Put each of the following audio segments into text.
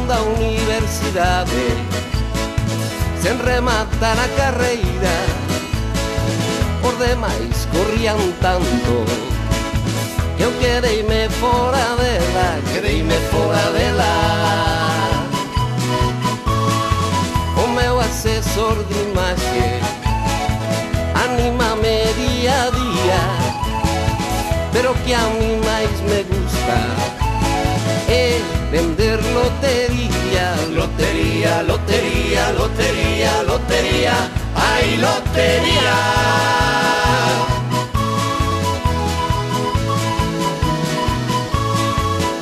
da universidade, sen rematar a carreira. Os demais corrían tanto que eu quedeime fora dela, O meu asesor de imaxe anímame día a día, pero que a mí máis me gusta é vender lotería. Lotería, lotería, lotería, lotería, ai lotería.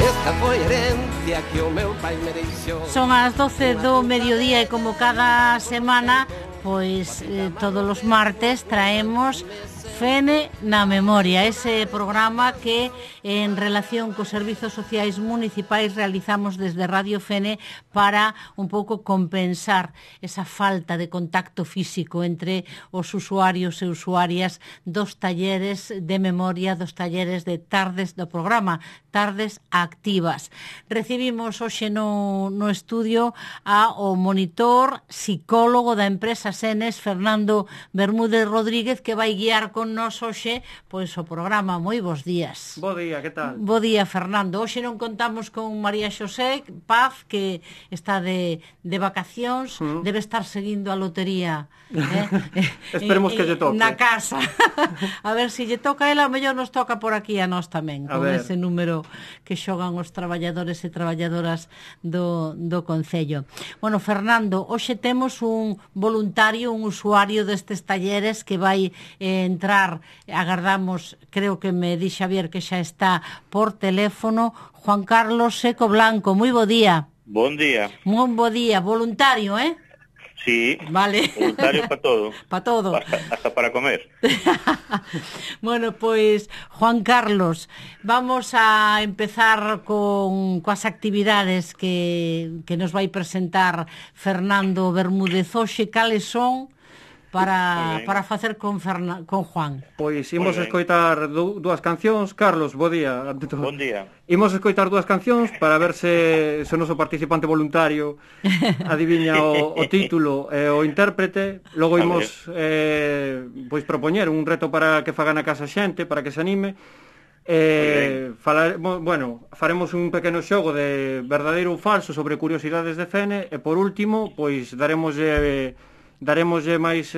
Esta foi herencia que o meu pai me deixou. Son as 12 do mediodía e como cada semana, pois todos os martes traemos Fene na Memoria, ese programa que en relación cos servizos sociais municipais realizamos desde Radio Fene para un pouco compensar esa falta de contacto físico entre os usuarios e usuarias dos talleres de memoria, dos talleres de tardes do programa, tardes activas. Recibimos hoxe no estudio ao monitor psicólogo da empresa Senes, Fernando Bermúdez Rodríguez, que vai guiar con nos hoxe pois o programa. Moi bons días. Bo día, que tal? Bo día, Fernando. Hoxe non contamos con María Xosé Paz, que está de vacacións, debe estar seguindo a lotería. Esperemos que lle toque. Na casa. A ver se lle toca a ela, a mellor nos toca por aquí a nós tamén, con ese número que xogan os traballadores e traballadoras do Concello. Bueno, Fernando, hoxe temos un voluntario, un usuario destes talleres que vai entrar, agardamos, creo que me di Xavier que xa está por teléfono, Juan Carlos Seco Blanco. Moi bo día. Bon día. Moi bo día, voluntario, eh? Sí, vale. Voluntario para todo. Para todo. Hasta para comer. Bueno, pois, Juan Carlos, vamos a empezar coas actividades que nos vai presentar Fernando Bermúdez hoxe. Cales son para facer con Juan? Pois imos escoitar dúas cancións. Carlos, bo día. Bon día. Imos escoitar dúas cancións para ver se o noso participante voluntario adiviña o título e o intérprete. Logo imos pois propoñer un reto para que fagan a casa xente, para que se anime. Faremos un pequeno xogo de verdadeiro ou falso sobre curiosidades de Fene e por último, pois daremoslle máis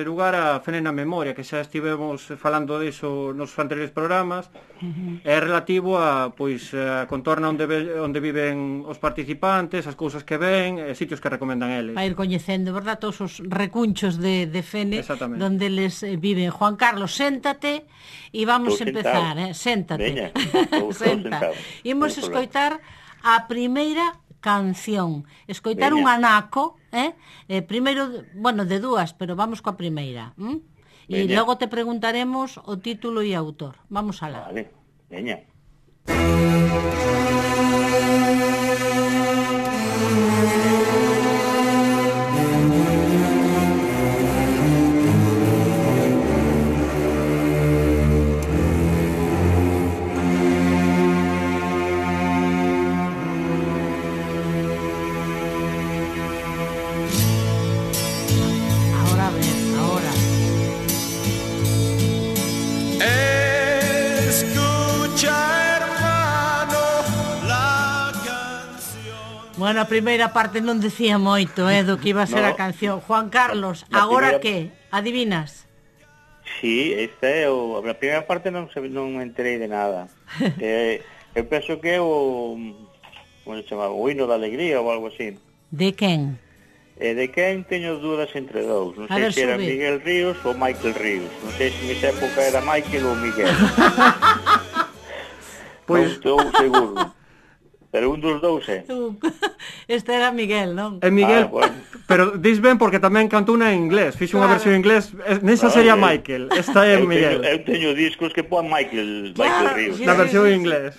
lugar a Fene na Memoria, que xa estivemos falando diso nos anteriores programas. É relativo a a contorna onde viven os participantes, as cousas que ven, sitios que recomendan eles. A ir coñecendo, verdad, todos os recunchos de Fene donde les viven. Juan Carlos, séntate e vamos a empezar, séntate. Senta. Imos escoitar a primeira canción, escoitar un anaco, primeiro, de dúas, pero vamos coa primeira. E logo te preguntaremos o título e autor. Vamos alá. Vale, veña. Bueno, a primeira parte non decía moito, do que iba a ser a canción. Juan Carlos, agora que? Adivinas? Sí, esta é a primeira parte non me enterei de nada. Eu penso que é como se chamaba, o hino da alegría ou algo así. De quen? De quen teño dúdas entre dous. Non sei se era Miguel Ríos ou Michael Ríos. Non sei se nesa época era Michael ou Miguel. Non estou seguro. Pero un dos dous é. Este era Miguel, non? É Miguel, Pero dis ben porque tamén cantou unha en inglés. Fixo unha versión en inglés. Nesa sería Michael. Esta é Miguel. Eu teño discos que pon Michael Ríos. Na versión en inglés.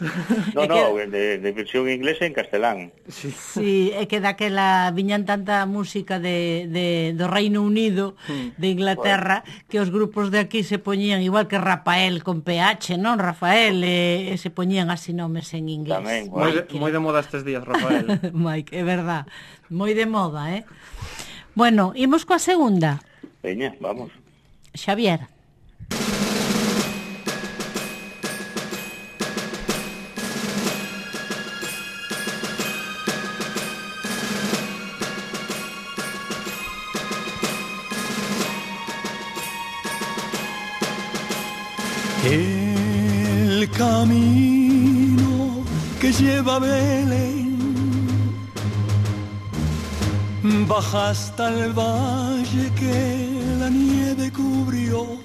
No, de versión en inglés en castelán. Sí, é que daquela viñan tanta música do Reino Unido, de Inglaterra, que os grupos de aquí se poñían igual que Rafael con PH, non? Rafael, se poñían así nomes en inglés. Tamén, moi de moda estes días, Rafael. Mike, é verdad. Moi de moda, Bueno, imos coa segunda. Veña, vamos. Xavier. El camino que lleva a Belén baja hasta el valle que la nieve cubrió.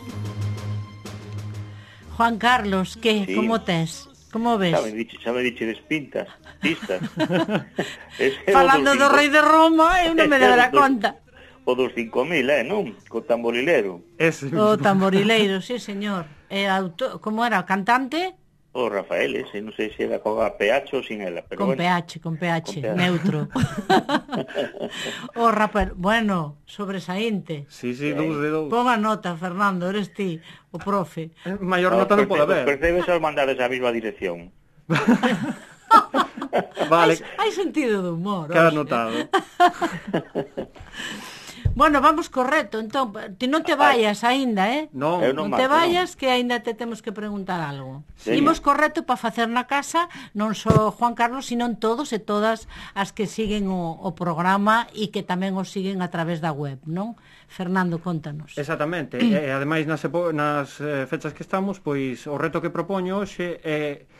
Juan Carlos, que? Sí. Como tes? Como ves? Xa me diches pistas. Falando do rei de Roma, eu non me dera conta. O dos 5.000, non? Co tamborileiro. O tamborileiro, sí, señor. Como era? O cantante? O Rafael, non sei se era con PH ou sin ela. Pero con PH, neutro. O Rafael, bueno, sobresaínte. Sí, dous de dous. Pon a nota, Fernando, eres ti, o profe. Maior nota non pode haber. Percebes ao mandar esa mesma dirección. Vale. Hai sentido de humor. Queda notado. Bueno, vamos correcto, entón, ti non te vayas aínda, Non, non te vayas, que aínda te temos que preguntar algo. Imos correcto para facer na casa, non só Juan Carlos, sino todos e todas as que siguen o programa e que tamén o siguen a través da web, non? Fernando, contanos. Exactamente, e ademais nas fechas que estamos, pois o reto que propoño hoxe é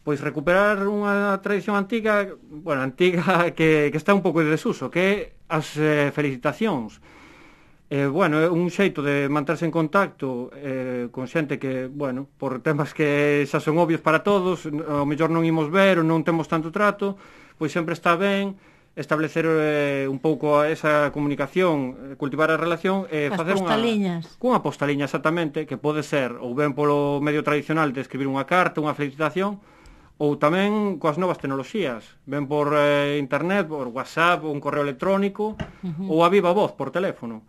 pois recuperar unha tradición antiga, que está un pouco de desuso, que é as felicitacións. É un xeito de manterse en contacto con xente que, por temas que xa son obvios para todos, ao mellor non imos ver ou non temos tanto trato, pois sempre está ben establecer un pouco esa comunicación, cultivar a relación e facer cunha postaliña exactamente, que pode ser ou ben polo medio tradicional de escribir unha carta, unha felicitación, ou tamén coas novas tecnoloxías, ben por internet, por WhatsApp, ou un correo electrónico, ou a viva voz por teléfono.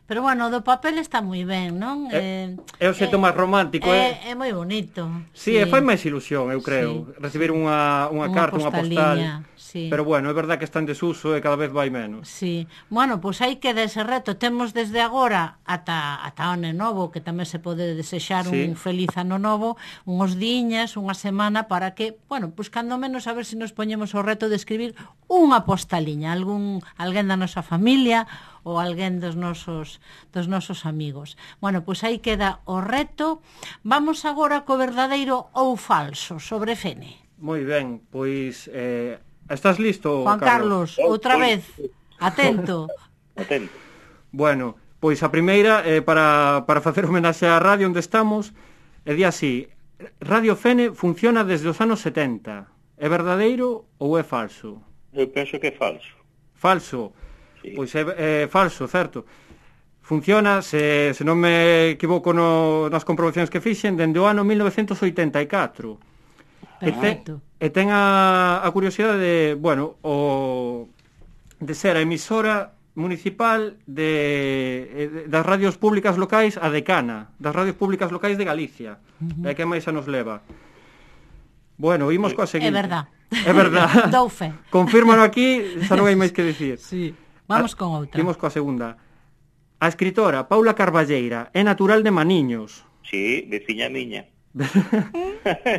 Pero do papel está moi ben, non? É o xeito máis romántico. É moi bonito. Sí, fai máis ilusión, eu creo, recibir unha carta, unha postal. Sí. Pero é verdad que está en desuso e cada vez vai menos. Sí. Pois aí queda ese reto. Temos desde agora ata ano novo, que tamén se pode desexar un feliz ano novo, unhos diñas, unha semana, para que, pois cando menos a ver se nos poñemos o reto de escribir unha postaliña, alguén da nosa familia ou alguén dos nosos amigos. Pois aí queda o reto. Vamos agora co verdadeiro ou falso sobre Fene. Moi ben, pois estás listo, Juan Carlos? Outra vez, atento. Atento. Bueno, pois a primeira para facer homenaxe á radio onde estamos, di así: Radio Fene funciona desde os anos 70. É verdadeiro ou é falso? Eu penso que é falso. Falso? Sí. Pois é falso, certo. Funciona, se non me equivoco nas comprobacións que fixen, dende o ano 1984. Perfecto. E ten a curiosidade de, de ser a emisora municipal das radios públicas locais, a decana, das radios públicas locais de Galicia. É que máis xa nos leva. Imos coa seguinte. É verdad. Dou fe. Confírmano aquí, xa non hai máis que dicir. Sí. Vamos con outra. Imos coa segunda. A escritora Paula Carballeira é natural de Maniños. Sí, veciña miña.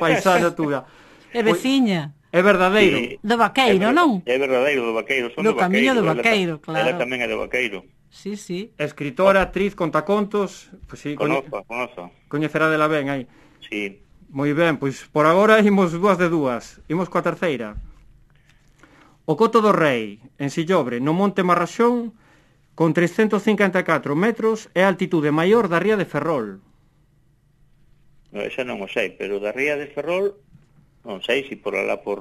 Paisana túa. É veciña. É verdadeiro. Sí. Do Vaqueiro, non? É verdadeiro, do Vaqueiro. Son do camiño do Vaqueiro, claro. Ela tamén é do Vaqueiro. Sí. Escritora, actriz, contacontos. Pois sí, Conozo. Coñecerá dela ben aí. Sí. Moi ben, pois por agora imos dúas de dúas. Imos coa terceira. O Coto do Rei, en Sillobre, no Monte Marraxón, con 354 metros, é a altitude maior da ría de Ferrol. Esa non o sei, pero da ría de Ferrol non sei se por alá por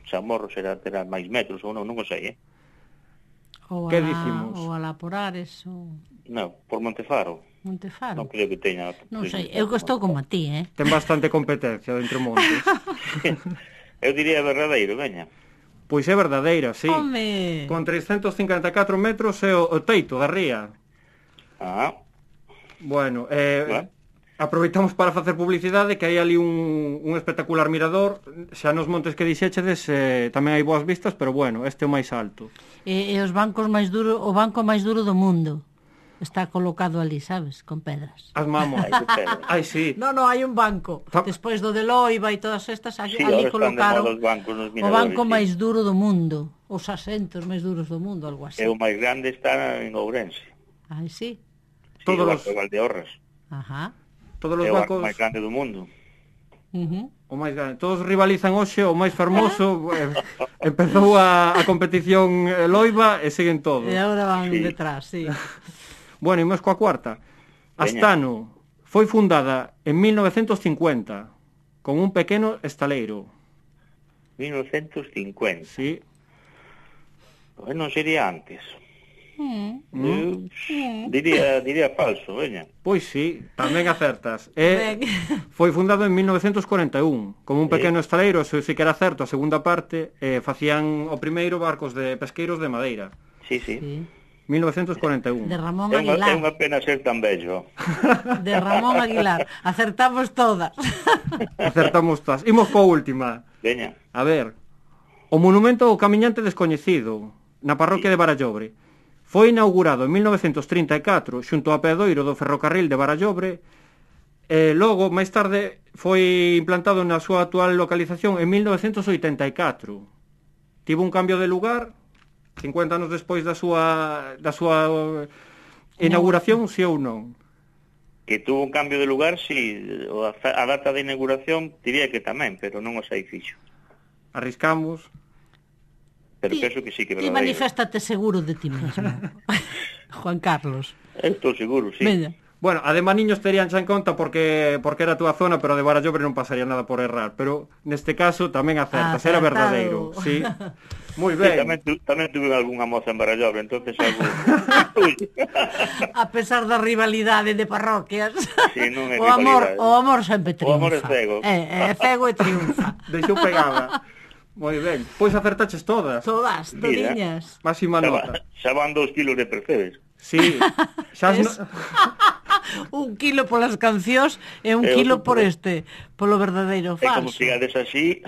Chamorro terá máis metros ou non o sei, Que dicimos? Ou alá por Ares, ou No, por Montefaro. Montefaro. Non creo que teña. Non sei, eu que estou como a ti, Ten bastante competencia de entre montes. Eu diría Verdadeiro, veña. Pois é verdadeira, sí. Home! Con 354 metros é o teito da ría. Ah, Bueno, Bueno. aproveitamos para facer publicidade, que hai ali un espectacular mirador. Xa nos montes que dixéchedes tamén hai boas vistas, pero bueno, este é o máis alto. E os bancos máis duro, o banco máis duro do mundo está colocado ali, sabes, con pedras. As mamos. hai que ter. Ai, sí. No, hai un banco. Despois do de Loiva e todas estas, Sí, ali ahora están de colocaron moda os bancos nos o miradores, banco sí. máis duro do mundo, os asentos máis duros do mundo, algo así. E o máis grande está en Ourense. Ai, sí. Sí, Todos o os- Banco de Valdeorras. Ajá. Todos os É o banco bancos, máis grande do mundo. o máis grande. Todos rivalizan hoxe, o máis fermoso. Empezou a competición Loiva e siguen todos. E agora van Sí. detrás, sí. Bueno, imos coa cuarta. Astano foi fundada en 1950 con un pequeno estaleiro. 1950. Sí. Pois non sería antes. Eu diría falso, veña. Pois sí, tamén acertas. E Ben. foi fundado en 1941 como un pequeno estaleiro, eso sí que era certo, a segunda parte, facían o primeiro barcos de pesqueiros de madeira. Sí, sí. Sí. 1941. De Ramón É Aguilar. unha pena ser tan bello. De Ramón Aguilar. Acertamos todas. Acertamos todas. Imos coa última. Veña. A ver, o monumento ao camiñante descoñecido na parroquia de Barallobre foi inaugurado en 1934 xunto ao peadoiro do ferrocarril de Barallobre e logo, máis tarde, foi implantado na súa actual localización en 1984. Tivo un cambio de lugar 50 anos despois da súa inauguración, si ou non. Que tuvo un cambio de lugar, si a data de inauguración diría que tamén, pero non o sei fixo. Arriscamos. Pero penso que sí que é Ti verdadeiro. maniféstate seguro de ti mesmo. Juan Carlos. Eu estou seguro, sí. Veña. Bueno, a de Maniños terían xa en conta porque era a túa zona, pero a de Barallobre non pasaría nada por errar. Pero neste caso tamén acertas, era Acertado. verdadeiro. Sí. Moi Sí, ben. tamén tuve algunha moza en Barallobre, entonces algo... Ui. A pesar da rivalidade de parroquias. Sí, non é o amor, rivalidade. o amor sempre O triunfa. amor é cego. É cego e triunfa. Deixou pegada. Moi ben. Pois acertaches todas. Todas, Mira. todiñas. Máxima nota. Xa van 2 kilos de percebes. Sí. Xa Es- Un kilo polas cancións e un E kilo outro por por- polo verdadeiro E como falso. sigades así...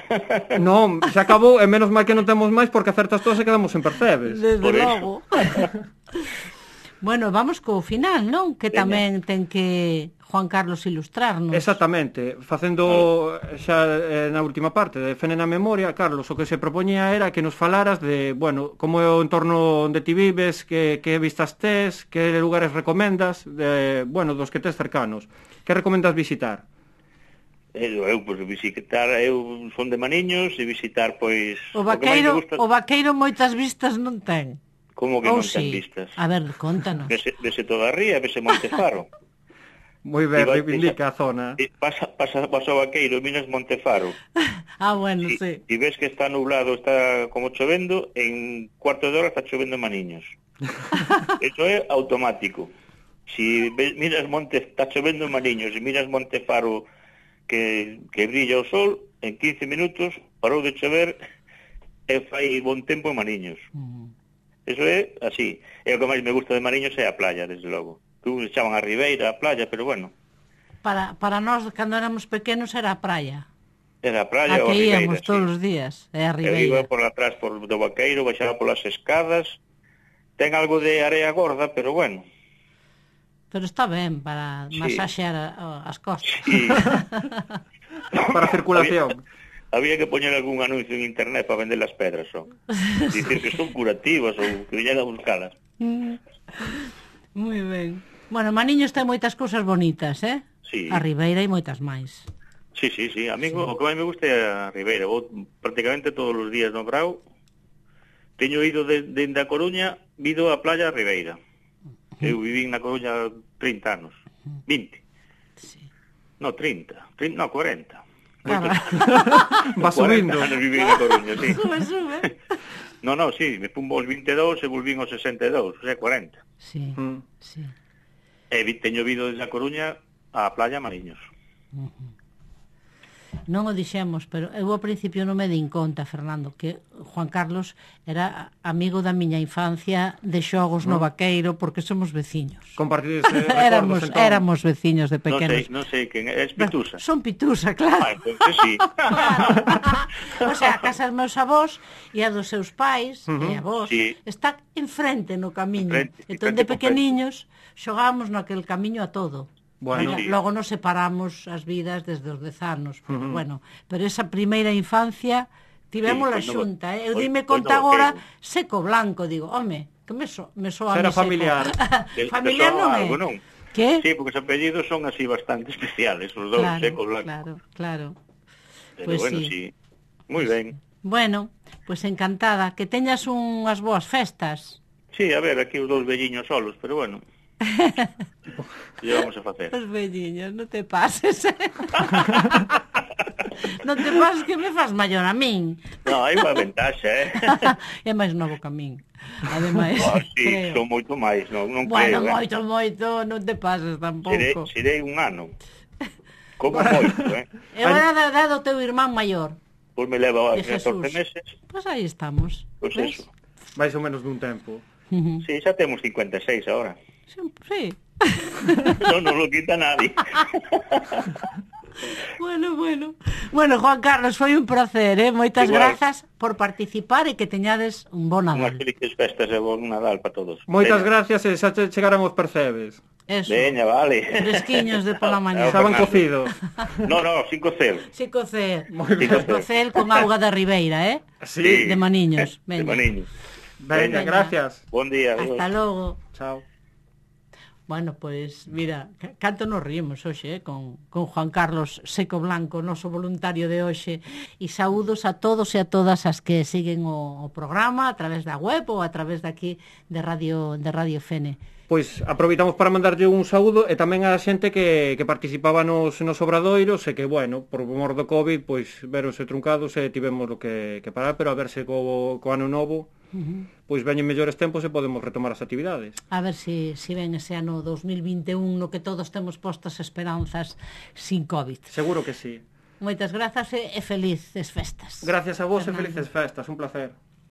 Non, xa acabou, e menos mal que non temos máis porque acertas todas e quedamos en percebes. Desde Por eso. logo. Bueno, vamos co final, non? Que Veña. tamén ten que Juan Carlos ilustrarnos. Exactamente, facendo xa na última parte de Fene na Memoria, Carlos, o que se propoñía era que nos falaras de, bueno, como é o entorno onde ti vives, que vistas tes, que lugares recomendas, bueno, dos que tes cercanos. Que recomendas visitar? Eu pois, visitar, eu son de Maniños e visitar, pois... O que máis me vaqueiro, gusta- o vaqueiro moitas vistas non ten. Como que Ou non ten sí. vistas? A ver, contanos. Vese toda a ría, vese Montefaro. Moi ben, Igual, reivindica a zona. E pasa o vaqueiro, miras Montefaro. Ah, bueno, E sí. ves que está nublado, está como chovendo, en cuarto de hora está chovendo en Maniños. Eso é automático. Si miras está chovendo en Maniños, e miras Montefaro que brilla o sol, en 15 minutos parou de chover e fai bon tempo en Maniños. Eso é así. E o que máis me gusta de Mariños é a playa, desde logo. Tú chaman a Ribeira, a playa, pero bueno, Para nós, cando éramos pequenos, era a praia. era a A playa ou a que Ribeira. íamos todos os días. É a Eu iba Ribeira. por atrás do vaqueiro, baixaba polas escadas. Ten algo de area gorda, pero bueno. Pero está ben para Sí. masaxear as costas. Sí. Para circulación. Había que poñer algún anuncio en internet para vender las pedras, son. Dicir que son curativas ou que viñan a buscalas. Moi ben. Bueno, Maniños ten moitas cousas bonitas, Sí. A Ribeira e moitas máis. Sí. A mí o que máis me gusta é a Ribeira. Vou prácticamente todos os días no Brao. Teño ido dende a Coruña, ido á playa a Ribeira. Eu viví na Coruña 30 anos. 20. Sí. No, 30. 40. Claro. Va subindo. 40 anos viví na Coruña, sí. Sube. No, sí, me pun aos 22 e volvín aos 62, o sea, 40. Sí, sí. E teño vido desde a Coruña á playa Mariños. Non o dixemos, pero eu ao principio non me din conta, Fernando, que Juan Carlos era amigo da miña infancia de xogos no Vaqueiro, porque somos veciños. Compartides recordos, entón. Éramos veciños de pequenos. Non sei quen é Pitusa. Son Pitusa, claro. Entonces sí. O sea, a casa dos meus avós e a dos seus pais e a vós Sí. está enfrente no camiño. Entón enfrente de pequeniños xogábamos naquel camiño a todo. Bueno, Logo nos separamos as vidas desde os 10 anos, pero bueno, pero esa primeira infancia tivémola xunta, Eu dime conta agora seco blanco, digo, home, que me soa a Era mí seco. familiar. Familiar non é. Non? Que? Sí, porque os apellidos son así bastante especiales, os dous, seco blanco. Claro. Pero Pues bueno, sí. Moi ben. Bueno, pues encantada, que teñas unhas boas festas. Sí, a ver, aquí os dous velliños solos, pero bueno. Que vamos a facer? Os velliños, non te pases. Non te pases que me faz maior a min. No, hai unha ventaxa, É máis novo que a min. Ademais, sí, creo. son moito máis, non Bueno, creo, moito, non te pases tampouco. Serei un ano. Como moito, Eu era da edad do teu irmán maior. Pois me leva De 14 Jesús. meses. Pois aí estamos. Pois ¿ves? eso. máis ou menos dun tempo. Sí, xa temos 56 ahora. Sí. Non lo quita nadie. Bueno, Juan Carlos, foi un placer, Moitas Igual. grazas por participar e que teñades un bon Unhas Nadal. felices festas e bon Nadal para todos. Moitas Veña. gracias e xa chegaran os percebes. Eso. Veña, vale. Fresquiños de pola mañá. Estaban Fernando. cocidos. No, 5 cel. Sí, cocer. Moi ben. Cocer con auga da Ribeira, Sí. De Maniños. De Veña. Maniños. Veña, gracias. Bon día. adiós. Hasta logo. Chao. Bueno, pois, mira, canto nos rimos hoxe, con Juan Carlos Seco Blanco, noso voluntario de hoxe, e saúdos a todos e a todas as que siguen o programa a través da web ou a través daqui de Radio Fene. Pois aproveitamos para mandarlle un saúdo e tamén a xente que participaba nos obradoiros e que, bueno, por mor do COVID, pois veronse truncados e tivemos o que parar, pero a verse co ano novo, pois veñen mellores tempos e podemos retomar as actividades. A ver si ven ese ano 2021 no que todos temos postas esperanzas sin COVID. Seguro que sí. Moitas grazas e felices festas. Gracias a vos Fernando. e felices festas, un placer.